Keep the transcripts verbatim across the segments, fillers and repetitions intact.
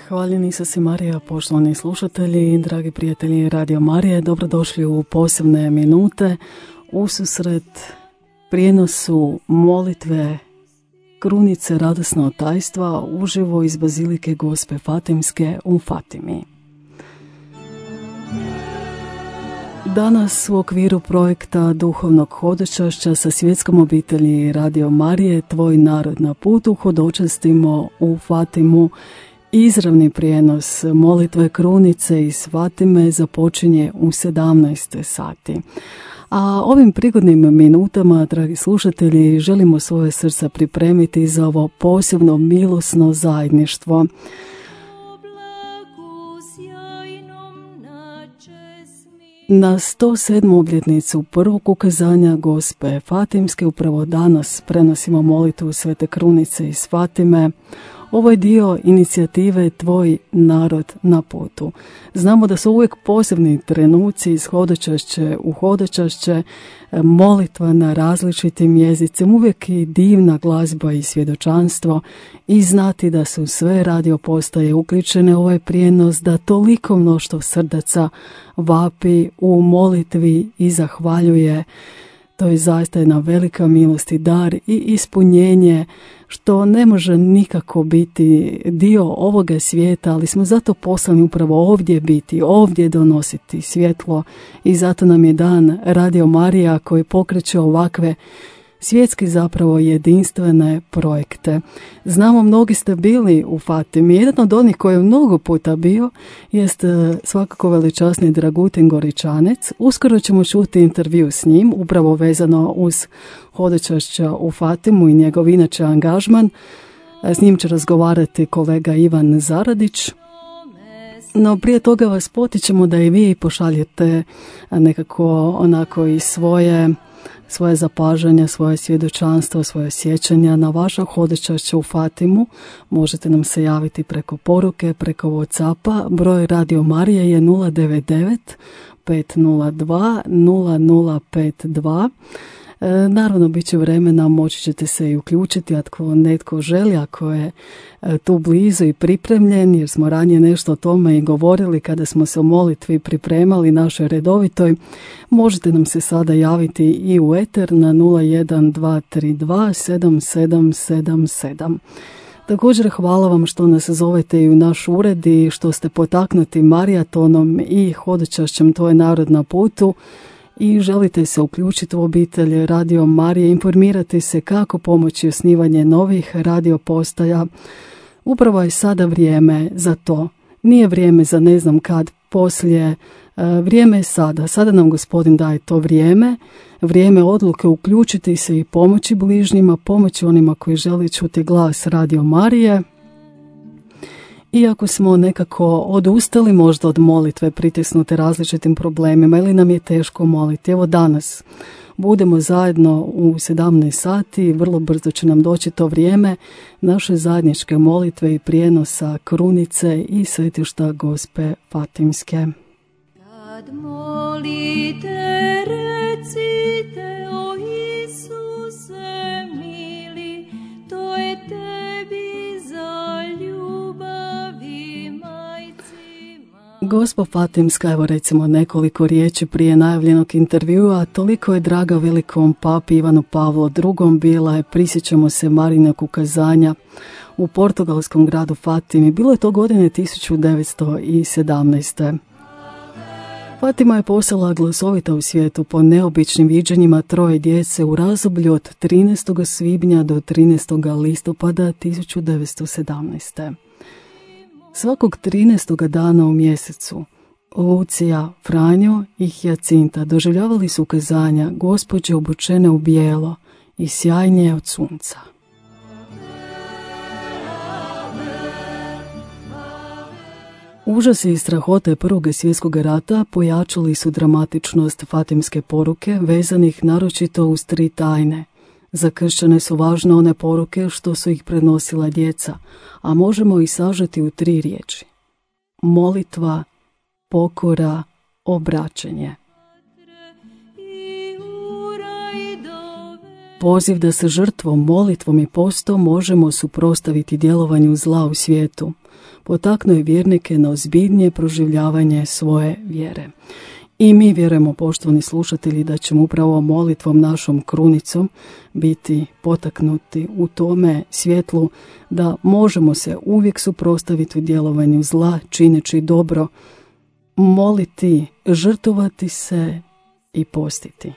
Hvaljeni Isus i Marija, poštovani slušatelji, dragi prijatelji Radio Marije, dobrodošli u posebne minute ususret prijenosu molitve krunice radosnog tajstva uživo iz Bazilike Gospe Fatimske u Fatimi. Danas u okviru projekta duhovnog hodočašća sa svjetskom obitelji Radio Marije Tvoj narod na putu hodočastimo u Fatimu. Izravni prijenos molitve krunice iz Fatime započinje u sedamnaest sati. A ovim prigodnim minutama, dragi slušatelji, želimo svoje srca pripremiti za ovo posebno milosno zajedništvo. Na sto sedmu obljetnicu prvog ukazanja Gospe Fatimske upravo danas prenosimo molitvu Svete krunice iz Fatime. Ovo je dio inicijative Tvoj narod na putu. Znamo da su uvijek posebni trenuci iz hodočašće u hodočašće, molitva na različitim jezicima, uvijek i divna glazba i svjedočanstvo i znati da su sve radio postaje uključene u ovaj prijenos, da toliko mnoštvo srdaca vapi u molitvi i zahvaljuje. To je zaista jedna velika milost i dar i ispunjenje što ne može nikako biti dio ovoga svijeta, ali smo zato poslani upravo ovdje biti, ovdje donositi svjetlo i zato nam je dan Radio Marija koji pokreće ovakve svjetski zapravo jedinstvene projekte. Znamo, mnogi ste bili u Fatimi. Jedan od onih koji je mnogo puta bio jest svakako veličasni Dragutin Goričanec. Uskoro ćemo čuti intervju s njim, upravo vezano uz hodočašća u Fatimu i njegov inače angažman. S njim će razgovarati kolega Ivan Zaradić. No prije toga vas potičemo da i vi pošaljete nekako onako i svoje svoje zapažanja, svoje svjedočanstvo, svoje sjećanja na vaša hodočašća u Fatimu. Možete nam se javiti preko poruke, preko WhatsAppa. Broj Radio Marije je nula devet devet pet nula dva nula nula pet dva. E, naravno, bit će vremena, moći ćete se i uključiti ako netko želi, ako je e, tu blizu i pripremljen, jer smo ranije nešto o tome i govorili kada smo se o molitvi pripremali našoj redovitoj. Možete nam se sada javiti i u eter na nula jedan dva tri dva sedam sedam sedam sedam. Također hvala vam što nas zovete i u naš ured i što ste potaknuti marijatonom i hodočašćem Tvoj narod na putu i želite se uključiti u obitelj Radio Marije, informirati se kako pomoći osnivanje novih radio postaja. Upravo je sada vrijeme za to. Nije vrijeme za ne znam kad, poslije. Vrijeme je sada. Sada nam Gospodin daje to vrijeme. Vrijeme odluke uključiti se i pomoći bližnjima, pomoći onima koji žele čuti glas Radio Marije. Iako smo nekako odustali možda od molitve, pritisnute različitim problemima ili nam je teško moliti, evo danas budemo zajedno u sedamnaest sati, vrlo brzo će nam doći to vrijeme naše zajedničke molitve i prijenosa krunice i svetišta Gospe Fatimske. Kad molite, recite o Isuse mili, to je tebi za ljubavi majci. Gospa Fatimska, evo recimo nekoliko riječi prije najavljenog intervjua, toliko je draga velikom papi Ivanu Pavlu drugom, bila je, prisjećamo se, Marijinog ukazanja u portugalskom gradu Fatimi. Bilo je to godine tisuću devetsto sedamnaeste. Fatima je postala glasovita u svijetu po neobičnim viđenjima troje djece u razdoblju od trinaestog svibnja do trinaestog listopada tisuću devetsto sedamnaeste. Svakog trinaestog dana u mjesecu Lucija, Franjo i Hijacinta doživljavali su ukazanja Gospođe obučene u bijelo i sjajnije od sunca. Užasi i strahote Prvog svjetskog rata pojačali su dramatičnost fatimske poruke vezanih naročito uz tri tajne. Za kršćane su važne one poruke što su ih prenosila djeca, a možemo ih sažeti u tri riječi. Molitva, pokora, obraćanje. Poziv da se žrtvom, molitvom i postom možemo suprotstaviti djelovanju zla u svijetu. potaknuo je vjernike na ozbiljnije proživljavanje svoje vjere. I mi vjerujemo, poštovani slušatelji, da ćemo upravo molitvom našom krunicom biti potaknuti u tome svjetlu da možemo se uvijek suprotstaviti u djelovanju zla, čineći dobro, moliti, žrtvovati se i postiti.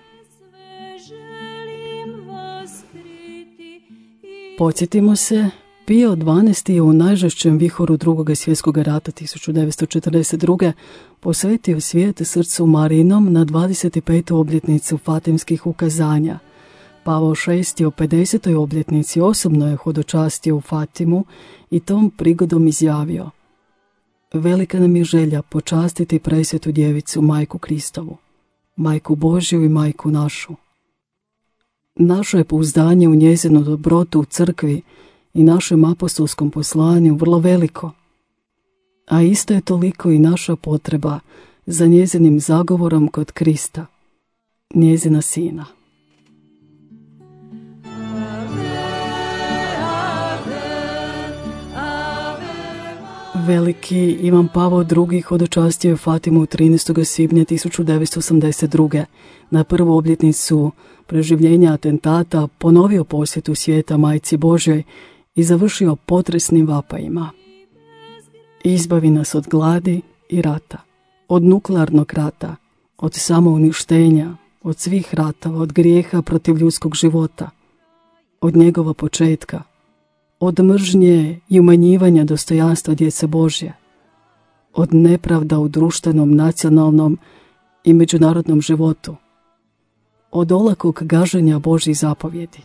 Podsjetimo se, Pio dvanaesti je u najžešćem vihoru drugog svjetskog rata tisuću devetsto četrdeset druge. posvetio svijet srcu Marijinom na dvadeset petu obljetnicu Fatimskih ukazanja. Pavao šesti o pedesetoj obljetnici osobno je hodočastio u Fatimu i tom prigodom izjavio: velika nam je želja počastiti presvetu djevicu Majku Kristovu, Majku Božju i Majku našu. Naše je pouzdanje u njezinu dobrotu u crkvi i našem apostolskom poslanju vrlo veliko, a isto je toliko i naša potreba za njezinim zagovorom kod Krista, njezina sina. Veliki Ivan Pavao drugi hodočastio je Fatimu trinaestog svibnja tisuću devetsto osamdeset druge. Na prvu obljetnicu preživljenja atentata ponovio posjetu svijeta Majci Božjoj i završio potresnim vapajima: izbavi nas od gladi i rata, od nuklearnog rata, od samouništenja, od svih ratova, od grijeha protiv ljudskog života, od njegova početka, od mržnje i umanjivanja dostojanstva djece Božje, od nepravda u društvenom, nacionalnom i međunarodnom životu, od olakog gaženja Božjih zapovjedi,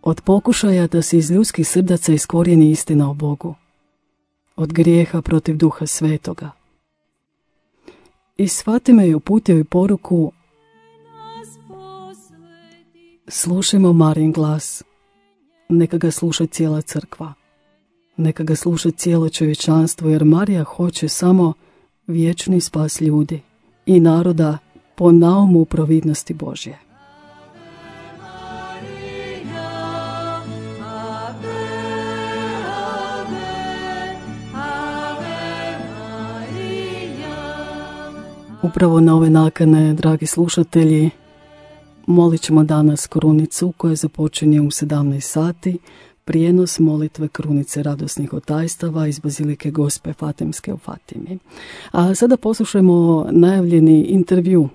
od pokušaja da se iz ljudskih srdaca iskorijeni istina o Bogu, od grijeha protiv Duha Svetoga. Iz Fatime je uputio i poruku: slušajmo Marijin glas, neka ga sluša cijela crkva, neka ga sluša cijelo čovječanstvo, jer Marija hoće samo vječni spas ljudi i naroda po naumu providnosti Božje. Upravo na ove nakane, dragi slušatelji, molit ćemo danas krunicu koja započinje u sedamnaest sati, prijenos molitve krunice radosnih otajstava iz Bazilike Gospe Fatimske u Fatimi. A sada poslušajmo najavljeni intervju.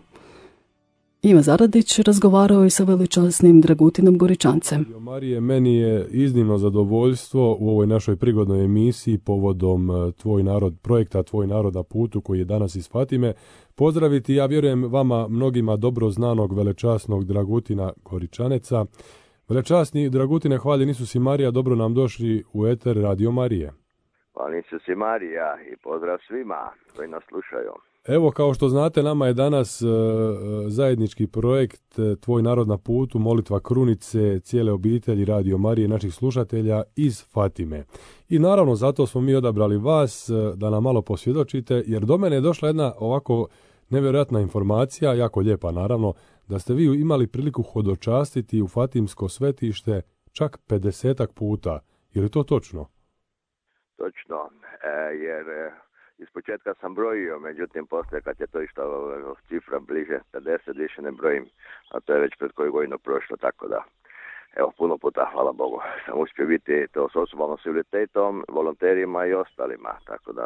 Ivan Zaradić razgovarao je sa veličasnim Dragutinom Goričancem. Marije, meni je iznimno zadovoljstvo u ovoj našoj prigodnoj emisiji povodom Tvoj narod, projekta Tvoj narod na putu koji je danas iz Fatime pozdraviti, ja vjerujem, vama mnogima dobro znanog velečasnog Dragutina Goričaneca. Velečasni Dragutine, hvaljen Isus i Marija, dobro nam došli u eter Radio Marije. Hvaljen Isus i Marija i pozdrav svima koji nas slušaju. Evo, kao što znate, nama je danas uh, zajednički projekt uh, Tvoj narod na putu, molitva krunice cijele obitelji Radio Marije, naših slušatelja iz Fatime. I naravno zato smo mi odabrali vas uh, da nam malo posvjedočite, jer do mene je došla jedna ovako nevjerojatna informacija, jako lijepa naravno, da ste vi imali priliku hodočastiti u Fatimsko svetište čak pedesetak puta. Je li to točno? Točno, e, jer... E... Iz početka sam brojio, međutim poslije kad je to išlo cifra bliže pedeset, više ne brojim, a to je već pred koju godinu prošlo, tako da evo, puno puta, hvala Bogu, sam uspio biti to s osobama s invaliditetom, volonterima i ostalima, tako da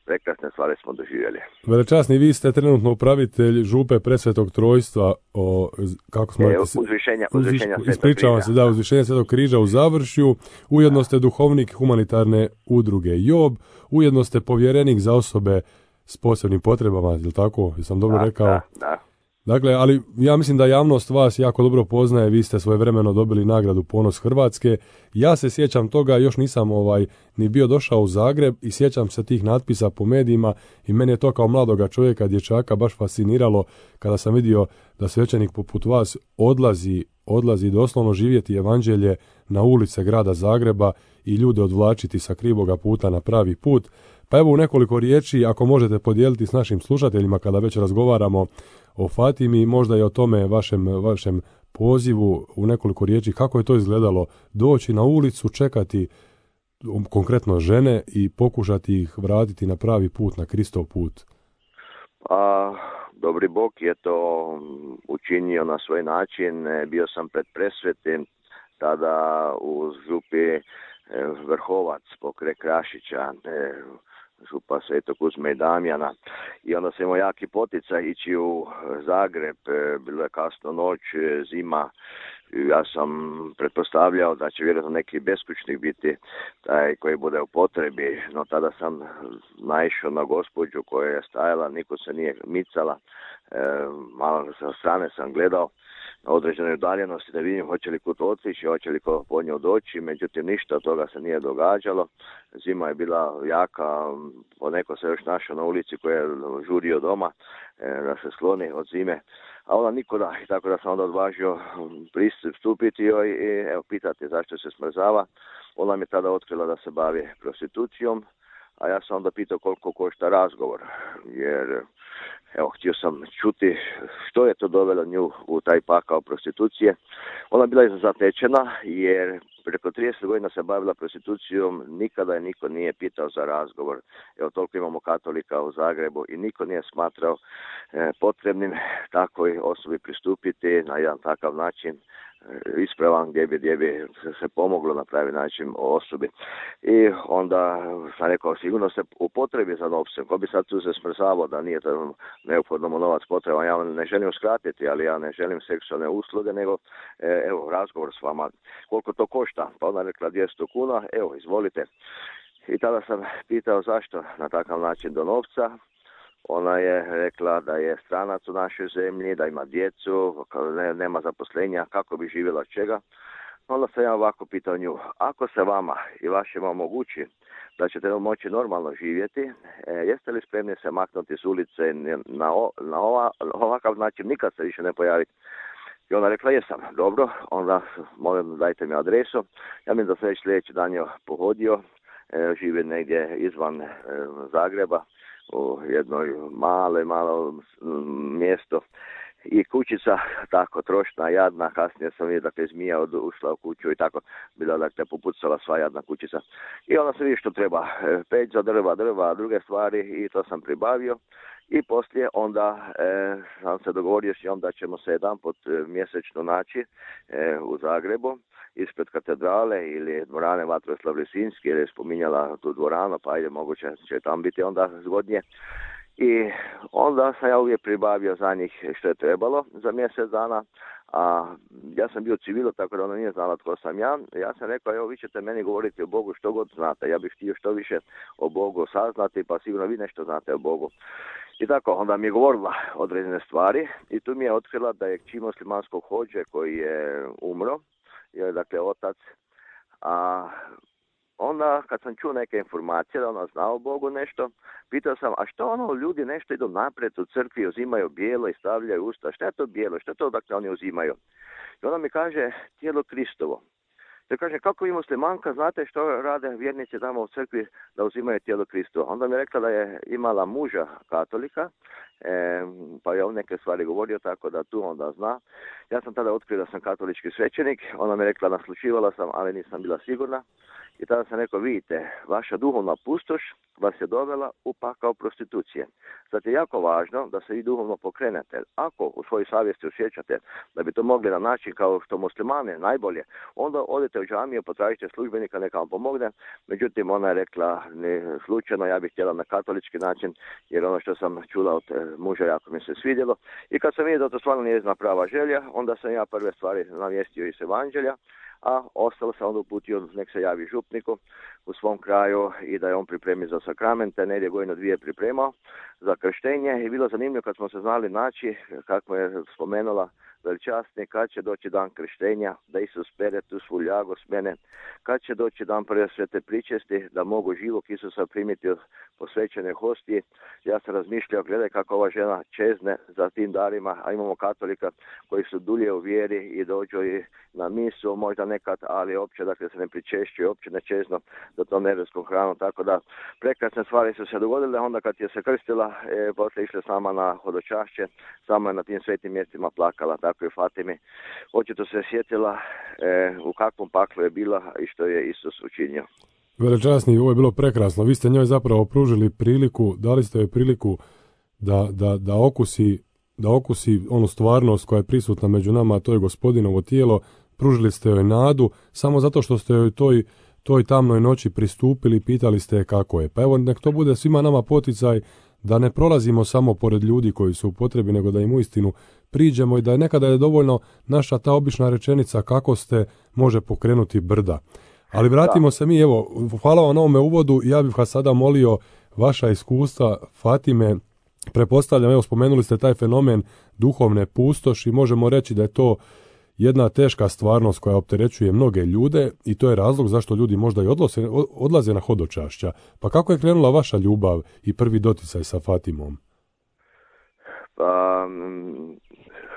prekrasne stvari smo doživjeli. Velečasni, vi ste trenutno upravitelj župe Presvetog Trojstva, o, kako smo e, uzvišenja, uzvišenja uz, ispričavam se, da, uzvišenja Svetog križa u Završju, ujedno ste duhovnik humanitarne udruge Job, ujedno ste povjerenik za osobe s posebnim potrebama, je li tako? Jesam dobro da, rekao? Da, da. Dakle, ali ja mislim da javnost vas jako dobro poznaje, vi ste svojevremeno dobili nagradu Ponos Hrvatske. Ja se sjećam toga, još nisam ovaj ni bio došao u Zagreb i sjećam se tih natpisa po medijima i mene je to kao mladoga čovjeka, dječaka baš fasciniralo kada sam vidio da svećenik poput vas odlazi, odlazi doslovno živjeti evanđelje na ulice grada Zagreba i ljude odvlačiti sa krivoga puta na pravi put. Pa evo u nekoliko riječi, ako možete podijeliti s našim slušateljima kada već razgovaramo o Fatimi, možda i o tome vašem, vašem pozivu u nekoliko riječi, kako je to izgledalo doći na ulicu, čekati konkretno žene i pokušati ih vratiti na pravi put, na Kristov put? A, dobri Bog je to učinio na svoj način. Bio sam pred presvetim tada u župi Vrhovac pokraj Krašića, župa Svetog Kuzme i Damjana, i onda sam imao jaki poticaj ići u Zagreb. Bilo je kasno noć, zima. Ja sam pretpostavljao da će vjerojatno neki beskućnik biti taj koji bude u potrebi, no tada sam naišao na gospođu koja je stajala, niko se nije micala, e, malo sa strane sam gledao na određenoj udaljenosti da vidim hoće li kud otići, hoće li ko po nju doći, međutim ništa od toga se nije događalo. Zima je bila jaka, poneko se još našao na ulici koji je žurio doma e, da se skloni od zime, a ona nikuda, i tako da sam onda odvažio pristupiti joj i evo, pitati zašto se smrzava. Ona mi tada otkrila da se bavi prostitucijom, a ja sam onda pitao koliko košta razgovor, jer evo, htio sam čuti što je to dovelo nju u taj pakao prostitucije. Ona je bila zatečena jer preko trideset godina se bavila prostitucijom, nikada je niko nije pitao za razgovor. Evo, toliko imamo katolika u Zagrebu i niko nije smatrao e, potrebnim takvoj osobi pristupiti na jedan takav način ispravan gdje bi, gdje bi se pomoglo na pravi način osobi. I onda sam rekao, sigurno se u potrebi za novcem. Ko bi sad tu se smrzavao da nije to neophodno mu novac potreban. Ja ne želim uskratiti, ali ja ne želim seksualne usluge, nego evo, razgovor s vama. Koliko to košta? Pa ona rekla dvjesto kuna, evo, izvolite. I tada sam pitao zašto na takav način do novca. Ona je rekla da je stranac u našoj zemlji, da ima djecu, ne, nema zaposlenja, kako bi živjela od čega. Onda sam ja ovako pitao nju, ako se vama i vašima omogući da ćete moći normalno živjeti, e, jeste li spremni se maknuti s ulice na, o, na ova, ovakav način, nikad se više ne pojaviti? I ona rekla, jesam, dobro, onda molim dajte mi adresu. Ja mislim da sam već sljedeći dan je pohodio, e, živi negdje izvan e, Zagreba, u jednoj male, malo mjesto i kućica, tako trošna, jadna. Kasnije sam vidio, dakle, zmija od, ušla u kuću i tako, bila, dakle, popucala sva jadna kućica. I onda sam vidio što treba, peć za drva, drva, druge stvari, i to sam pribavio. I poslije onda e, sam se dogovorio s njom da ćemo se jedan put mjesečno naći e, u Zagrebu, ispred katedrale ili dvorane Vatroslav Lisinski, jer je spominjala tu dvoranu, pa ajde, moguće će tam biti onda zgodnije. I onda sam ja uvijek pribavio za njih što je trebalo za mjesec dana, a ja sam bio civilo, tako da ona nije znala tko sam ja. Ja sam rekao, evo, vi ćete meni govoriti o Bogu što god znate, ja bih htio što više o Bogu saznati, pa sigurno vi nešto znate o Bogu. I tako, onda mi je govorila određene stvari i tu mi je otkrila da je kći muslimanskog hođe koji je umro, je dakle otac, a onda kad sam čuo neke informacije da ona zna o Bogu nešto, pitao sam, a što ono ljudi nešto idu naprijed u crkvi, uzimaju bijelo i stavljaju usta, što je to bijelo, što je to dakle oni uzimaju? I ona mi kaže, tijelo Kristovo. Ja kažem, kako vi muslimanka znate što rade vjernici tamo u crkvi da uzimaju tijelo Kristovo? Onda mi je rekla da je imala muža katolika, e, pa je on neke stvari govorio, tako da tu onda zna. Ja sam tada otkrio da sam katolički svećenik, ona mi je rekla, naslučivala sam, ali nisam bila sigurna. I tada sam rekao, vidite, vaša duhovna pustoš vas je dovela u pakao prostitucije. Zato je jako važno da se vi duhovno pokrenete. Ako u svojoj savjesti osjećate da bi to mogli na način kao što muslimane najbolje, onda odete u džamiju, potražite službenika, neka vam pomogne. Međutim, ona je rekla, ne, slučajno, ja bih htjela na katolički način, jer ono što sam čula od muža jako mi se svidjelo. I kad sam vidio da to stvarno nije jedna prava želja, onda sam ja prve stvari navijestio iz evanđelja, a ostalo sam onda uputio nek se javi župniku u svom kraju i da je on pripremi za sakramente, negdje godinu dvije pripremao za krštenje i bilo zanimljivo kad smo se znali naći, kako je spomenula veličasni, kad će doći dan krštenja, da Isus pere tu svu ljagu s mene, kad će doći dan prve svete pričesti, da mogu živog Isusa primiti od posvećene hostije. Ja sam razmišljao, gledaj kako ova žena čezne za tim darima, a imamo katolika koji su dulje u vjeri i dođu i na misu, možda nekad, ali opće, dakle, se ne pričešćuju, opće ne čezno za tom nebedskom hranu, tako da prekrasne stvari su se dogodile. Onda kad je se krstila, e, poslije išla sama na hodočašće, sama je na tim svetim mjestima plakala, tako i Fatimi. Očito se sjetila e, u kakvom paklu je bila i što je Isus učinio. Velečasni, ovo je bilo prekrasno. Vi ste njoj zapravo pružili priliku, dali ste joj priliku da, da, da okusi da okusi onu stvarnost koja je prisutna među nama, a to je Gospodinovo tijelo. Pružili ste joj nadu samo zato što ste joj toj, toj tamnoj noći pristupili i pitali ste je kako je. Pa evo, nek to bude svima nama poticaj da ne prolazimo samo pored ljudi koji su u potrebi, nego da im uistinu priđemo i da je nekada je dovoljno naša ta obična rečenica kako ste može pokrenuti brda. Ali vratimo da. se mi, evo, hvala vam na ovome uvodu. Ja bih vas sada molio vaša iskustva, Fatime. Prepostavljam, evo, spomenuli ste taj fenomen duhovne pustoši. Možemo reći da je to jedna teška stvarnost koja opterećuje mnoge ljude i to je razlog zašto ljudi možda i odlaze, odlaze na hodočašća. Pa kako je krenula vaša ljubav i prvi doticaj sa Fatimom? Pa,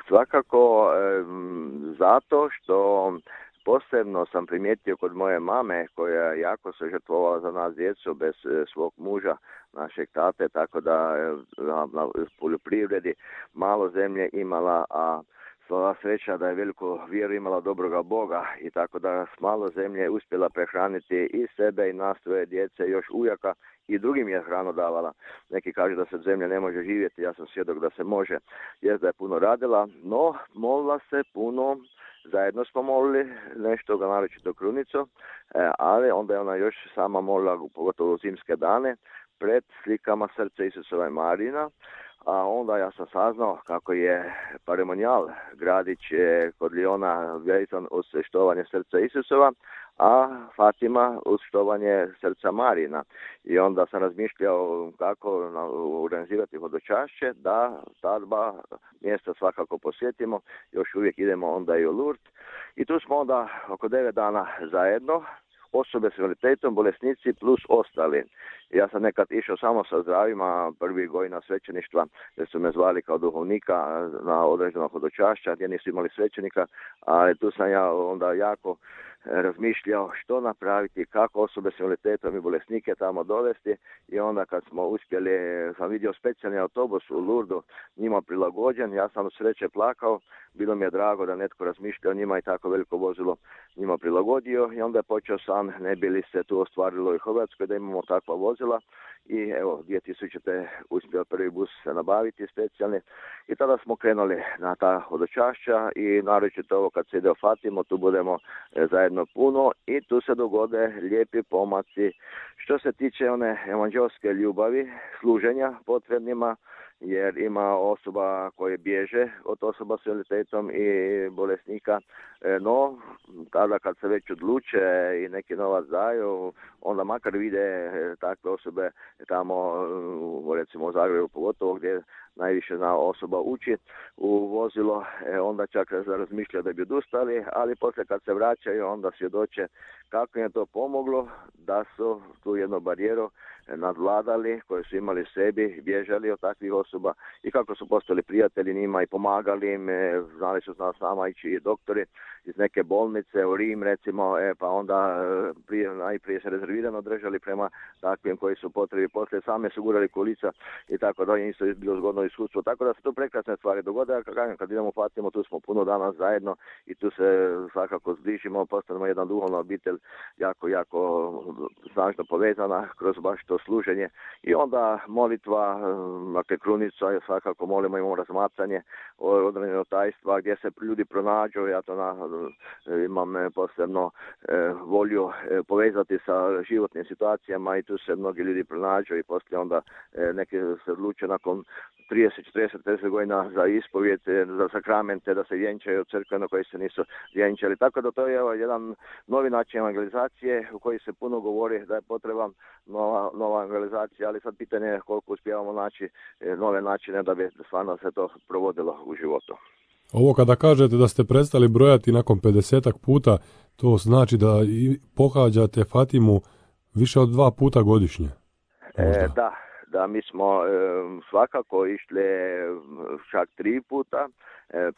svakako zato što posebno sam primijetio kod moje mame koja jako se žrtvovala za nas djecu bez svog muža, našeg tate, tako da na, na poljoprivredi malo zemlje imala, a sva sreća da je veliku vjeru imala dobroga Boga i tako da s malo zemlje uspjela prehraniti i sebe i nas svoje djece, još ujaka i drugim je hranu davala. Neki kažu da se zemlja ne može živjeti, ja sam svjedok da se može, jer da je puno radila, no molila se puno. Zajedno smo molili nešto ga naročito krunicu, ali onda je ona još sama molila, pogotovo u zimske dane, pred slikama Srca Isusova i Marina, a onda ja sam saznao kako je Paremonijal gradić kod Liona vezan uz štovanje Srca Isusova, a Fatima uz štovanje Srca Marina. I onda sam razmišljao kako organizirati hodočašće, da ta dva mjesta svakako posjetimo, još uvijek idemo onda i u Lourdes. I tu smo onda oko devet dana zajedno, osobe s invaliditetom, bolesnici plus ostali. Ja sam nekad išao samo sa zdravima, prvi godina svećeništva, jer su me zvali kao duhovnika na određenog hodočašća, gdje nisu imali svećenika, ali tu sam ja onda jako razmišljao što napraviti, kako osobe s invaliditetom i bolesnike tamo dovesti i onda kad smo uspjeli, sam vidio specijalni autobus u Lourdesu, njima prilagođen, ja sam u sreće plakao, bilo mi je drago da netko razmišlja o njima i tako veliko vozilo njima prilagodio i onda je počeo sam, ne bi li se tu ostvarilo i Hrvatskoj da imamo takva vozila i evo dvije tisućite uspio prvi bus se nabaviti specijalni i tada smo krenuli na ta hodočašća i naročito ovo kad se ide u Fatimu, tu budemo zajedno puno i tu se dogode lijepi pomaci što se tiče one evanđelske ljubavi, služenja potrebnima, jer ima osoba koje bježe od osoba s invaliditetom i bolesnika, no tada kad se već odluče i neki novac daju, onda makar vide takve osobe tamo, recimo u Zagrebu pogotovo gdje najviše zna osoba uči u vozilo, onda čak razmišlja da bi odustali, ali poslije kad se vraćaju onda svjedoče kako je to pomoglo, da su tu jednu barijeru nadvladali, koje su imali sebi, bježali od takvih osoba i kako su postali prijatelji njima i pomagali im, znali su nas sama ići i doktori iz neke bolnice u Rim recimo, e, pa onda prije, najprije se rezervirano držali prema takvim koji su potrebi, poslije same su gurali kolica i tako da isto je bilo zgodno iskustvo, tako da se to prekrasne stvari dogode, kad, kad idemo Fatimu, tu smo puno dana zajedno i tu se svakako zbližimo, postanemo jedna duhovna obitelj jako, jako snažno povezana kroz baš to služenje i onda molitva, dakle krunica, svakako molimo, imamo razmatranje određenog tajstva gdje se ljudi pronađu, ja to na, imam posebno e, volju e, povezati sa životnim situacijama i tu se mnogi ljudi pronađu i poslije onda e, neki se odluče nakon trideset, četrdeset, pedeset godina za ispovijed, za sakramente, da se vjenčaju od crkve na koji se nisu vjenčali. Tako da to je evo, jedan novi način evangelizacije u koji se puno govori da je potreban nova, nova evangelizacija, ali sad pitanje je koliko uspijevamo naći nove načine da bi stvarno se to provodilo u životu. Ovo kada kažete da ste prestali brojati nakon pedesetak puta, to znači da pohađate Fatimu više od dva puta godišnje? E, da. Da, mi smo e, svakako išli čak tri puta, e,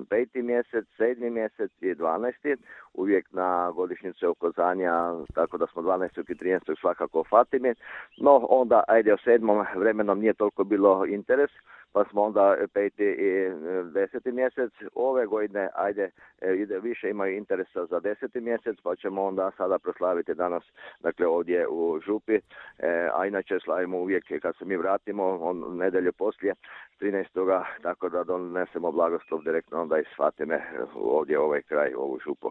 peti mjesec, sedmi mjesec i dvanaesti, uvijek na godišnjice okazanja, tako da smo dvanaestog i trinaestog svakako u Fatimi, no onda, ajde, o sedmom vremenom nije toliko bilo interes, pa smo onda peti i deseti mjesec. Ove godine, ajde, ide, više imaju interesa za deseti mjesec, pa ćemo onda sada proslaviti danas, dakle ovdje u župi, e, a inače slavimo uvijek kad se mi vratimo, on nedelje poslije, trinaestoga tako da donesemo blagoslov direktno onda iz Fatime ovdje u ovaj kraj, u ovu župu.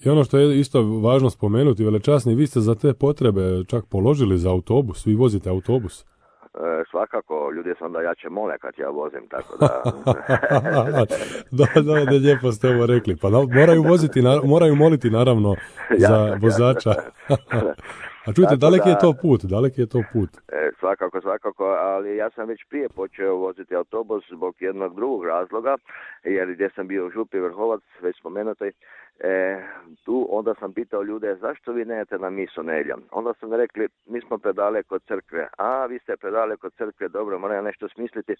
I ono što je isto važno spomenuti, velečasni, vi ste za te potrebe čak položili za autobus, vi vozite autobus. E, svakako, ljudi se onda jače mole kad ja vozim, tako da... da, da, da, lijepo ste ovo rekli. Pa da, moraju voziti, moraju moliti naravno za vozača. A čujte, daleki je to put, daleki je to put. E, svakako, svakako, ali ja sam već prije počeo voziti autobus zbog jednog drugog razloga, jer gdje sam bio u župi Vrhovac, već spomenuti, E, tu onda sam pitao ljude zašto vi ne idete na misu nedjeljom. Onda su mi rekli mi smo predaleko od crkve. A vi ste predaleko od crkve, dobro, moram nešto smisliti.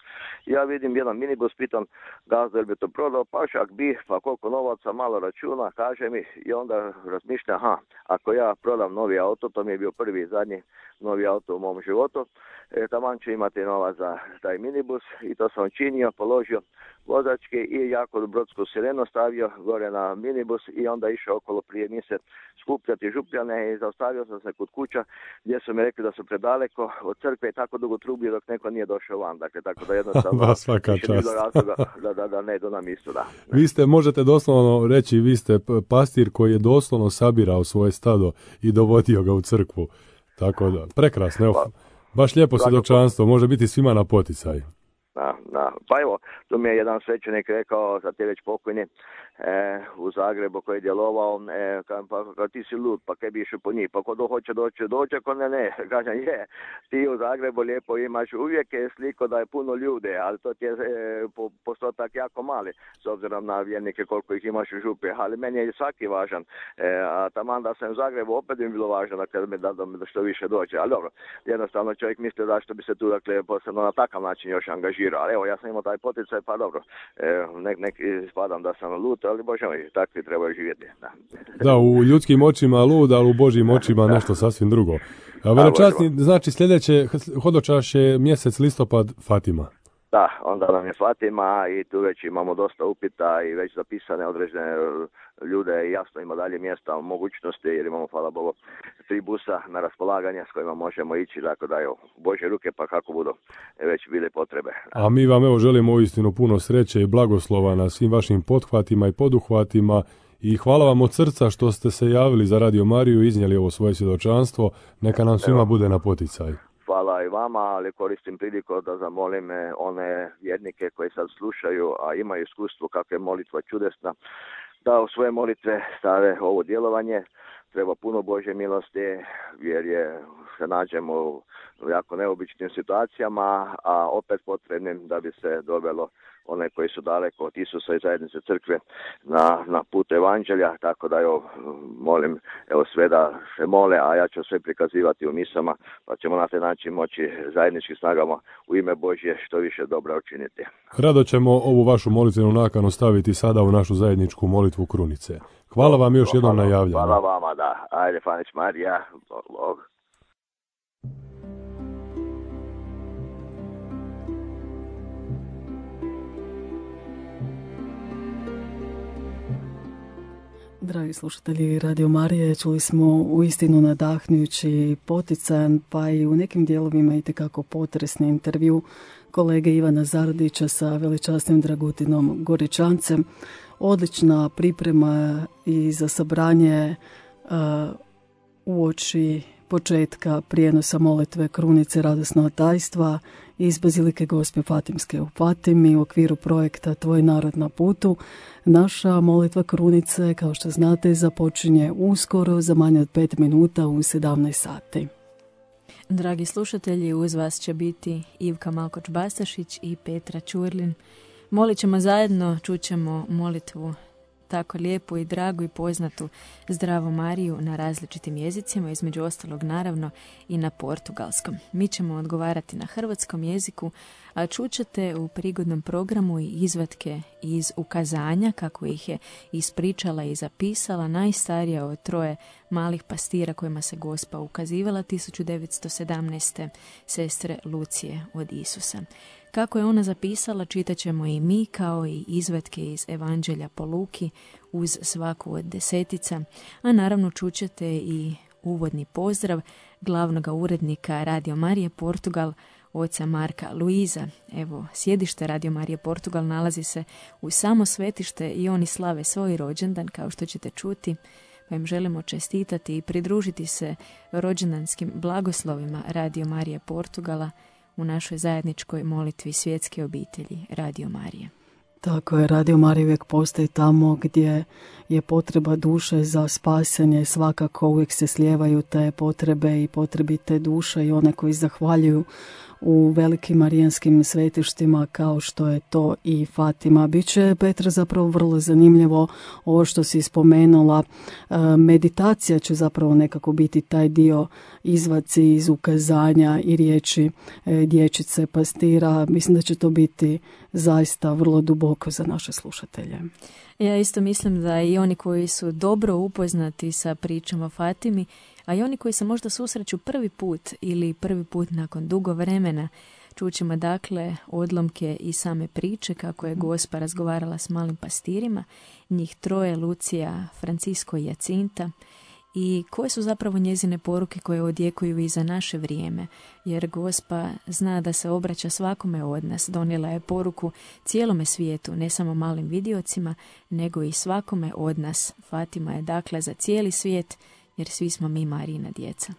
Ja vidim jedan minibus, pitam gazda, jel bi to prodao, pa šak bi, pa koliko novaca, malo računa, kaže mi, i onda razmišlja, aha, ako ja prodam novi auto, to mi je bio prvi i zadnji novi auto u mom životu, e, taman ću imati novac za taj minibus i to sam činio, položio vozačke i jako brodsku sirenu stavio gore na minibus i onda išao okolo prije mise skupljati župljane i zaustavio sam se kod kuća gdje su mi rekli da su predaleko od crkve i tako dugo trubio dok neko nije došao van. Dakle, tako da jednostavno da, svaka više čast. bilo razloga da, da, da ne idu na misu. Da. Vi ste, možete doslovno reći, vi ste pastir koji je doslovno sabirao svoje stado i dovodio ga u crkvu. Tako da, prekrasno. Evo, baš lijepo svjedočanstvo, može biti svima na poticaj. Da, da. Pa evo, tu mi je jedan svećenik rekao, za te već pokojni, e, u Zagrebu koji je djelovao, e, ka, pa, ka, ti si lud, pa kaj bi išao po njih, pa ko do hoće doći, doće, ko ne, ne. Kažem, je, ti u Zagrebu lijepo imaš, uvijek je sliko da je puno ljude, ali to ti je e, po, postotak jako mali, s obzirom na vjernike koliko ih imaš u župi, ali meni je svaki važan, e, a taman da sam u Zagrebu opet bi bilo važno da, mi da, da što više dođe, ali dobro, jednostavno čovjek misli da što bi se tu, dakle, posebno na takav način još angažirao. Ali evo, ja sam imao taj poticaj, pa dobro, e, nek, nek ispadam da sam lud, ali bože moj, takvi trebaju živjeti. Da. da, u ljudskim očima lud, ali u Božjim očima nešto sasvim drugo. A velečasni, znači sljedeće hodočaš je mjesec listopad Fatima. Da, onda nam je Fatima i tu već imamo dosta upita i već zapisane određene ljude i jasno ima dalje mjesta, mogućnosti jer imamo, hvala Bogu, tri busa na raspolaganje s kojima možemo ići, tako da evo, Božje ruke pa kako budu već bile potrebe. A mi vam evo želimo uistinu puno sreće i blagoslova na svim vašim pothvatima i poduhvatima i hvala vam od srca što ste se javili za Radio Mariju i iznijeli ovo svoje svjedočanstvo, neka nam svima evo bude na poticaj. Hvala i vama, ali koristim priliku da zamolim one vjernike koji sad slušaju, a imaju iskustvo kako je molitva čudesna, da u svoje molitve stave ovo djelovanje. Treba puno Božje milosti, jer je se nađemo u jako neobičnim situacijama, a opet potrebnim da bi se dovelo one koji su daleko od Isusa i zajednice crkve na, na put evanđelja, tako da evo, molim evo sve da se mole, a ja ću sve prikazivati u misama, pa ćemo na taj način moći zajedničkim snagama u ime Božje što više dobra učiniti. Rado ćemo ovu vašu molitvenu nakanu staviti sada u našu zajedničku molitvu krunice. Hvala vam još jednom na javljanju. Hvala vama, da. Ajde, Fanić Marija, Bog. Dragi slušatelji Radio Marije, čuli smo uistinu nadahnjujući, poticajan, pa i u nekim dijelovima itekako potresni intervju kolege Ivana Zardića sa velečasnim Dragutinom Goričancem. Odlična priprema i za sabranje uh, uoči početka prijenosa molitve krunice radosnog tajstva iz Bazilike Gospe Fatimske u Fatimi u okviru projekta Tvoj narod na putu. Naša molitva krunice, kao što znate, započinje uskoro za manje od pet minuta u sedamnaest sati. Dragi slušatelji, uz vas će biti Ivka Malkoč-Bastašić i Petra Čurlin. Molit ćemo zajedno, čućemo molitvu tako lijepu i dragu i poznatu Zdravo Mariju na različitim jezicima, između ostalog naravno i na portugalskom. Mi ćemo odgovarati na hrvatskom jeziku, a čućete u prigodnom programu i izvatke iz ukazanja, kako ih je ispričala i zapisala najstarija od troje malih pastira kojima se Gospa ukazivala tisuću devetsto sedamnaeste. sestre Lucije od Isusa. Kako je ona zapisala, čitat ćemo i mi, kao i izvatke iz Evanđelja po Luki uz svaku od desetica, a naravno čućete i uvodni pozdrav glavnog urednika Radio Marije Portugal, oca Marka Luiza. Evo, sjedište Radio Marije Portugal nalazi se u samo svetište i oni slave svoj rođendan, kao što ćete čuti, pa im želimo čestitati i pridružiti se rođendanskim blagoslovima Radio Marije Portugala u našoj zajedničkoj molitvi svjetske obitelji Radio Marije. Tako je, Radio Marija uvijek postoji tamo gdje je potreba duše za spasenje. Svakako uvijek se slijevaju te potrebe i potrebite duše i one koji zahvaljuju u velikim marijanskim svetištima kao što je to i Fatima. Biće, Petra, zapravo vrlo zanimljivo ovo što si spomenula. Meditacija će zapravo nekako biti taj dio, izvaci iz ukazanja i riječi dječice pastira. Mislim da će to biti zaista vrlo duboko za naše slušatelje. Ja isto mislim da i oni koji su dobro upoznati sa pričom o Fatimi, a i oni koji se možda susreću prvi put ili prvi put nakon dugo vremena, čućemo dakle odlomke i same priče kako je Gospa razgovarala s malim pastirima, njih troje, Lucija, Francisco i Jacinta, i koje su zapravo njezine poruke koje odjekuju i za naše vrijeme, jer Gospa zna da se obraća svakome od nas. Donijela je poruku cijelome svijetu, ne samo malim vidiocima, nego i svakome od nas. Fatima je dakle za cijeli svijet, jer svi smo mi Marijina djeca.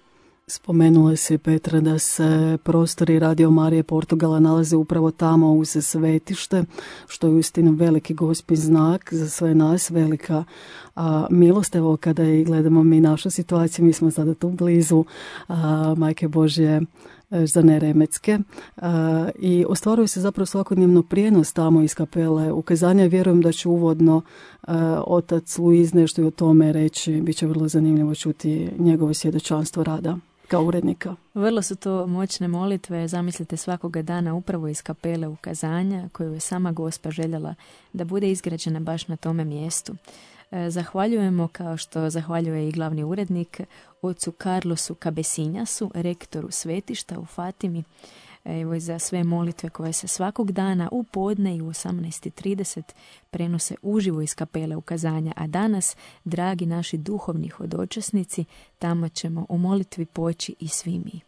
Spomenula si, Petra, da se prostori Radio Marije Portugala nalaze upravo tamo uz svetište, što je uistinu veliki Gospin znak za sve nas, velika a, milost. Evo, kada i gledamo mi našu situaciju, mi smo sada tu blizu a, Majke Božje za Neremecke a, i ostvaruje se zapravo svakodnevno prijenos tamo iz kapele ukazanja. Vjerujem da će uvodno a, otac Luiz nešto i o tome reći. Biće vrlo zanimljivo čuti njegovo svjedočanstvo rada kao urednika. Vrlo su to moćne molitve, zamislite, svakoga dana upravo iz kapele ukazanja koju je sama Gospa željela da bude izgrađena baš na tome mjestu. Zahvaljujemo, kao što zahvaljuje i glavni urednik, ocu Carlosu Cabesinhasu, rektoru svetišta u Fatimi, evo i za sve molitve koje se svakog dana u podne i u osamnaest i trideset prenose uživo iz kapele ukazanja, a danas, dragi naši duhovni hodočasnici, tamo ćemo u molitvi poći i svi mi.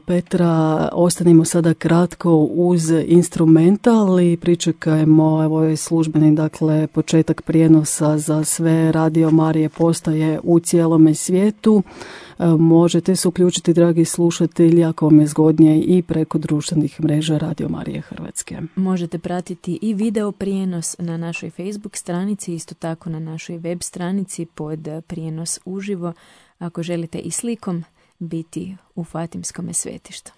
Petra, ostanimo sada kratko uz instrumental i pričekajmo, evo je službeni, dakle, početak prijenosa za sve Radio Marije postaje u cijelome svijetu. Možete se uključiti, dragi slušatelji, ako vam je zgodnije, i preko društvenih mreža Radio Marije Hrvatske. Možete pratiti i video prijenos na našoj Facebook stranici, isto tako na našoj web stranici pod prijenos uživo, ako želite i slikom biti u Fatimskome svetištu.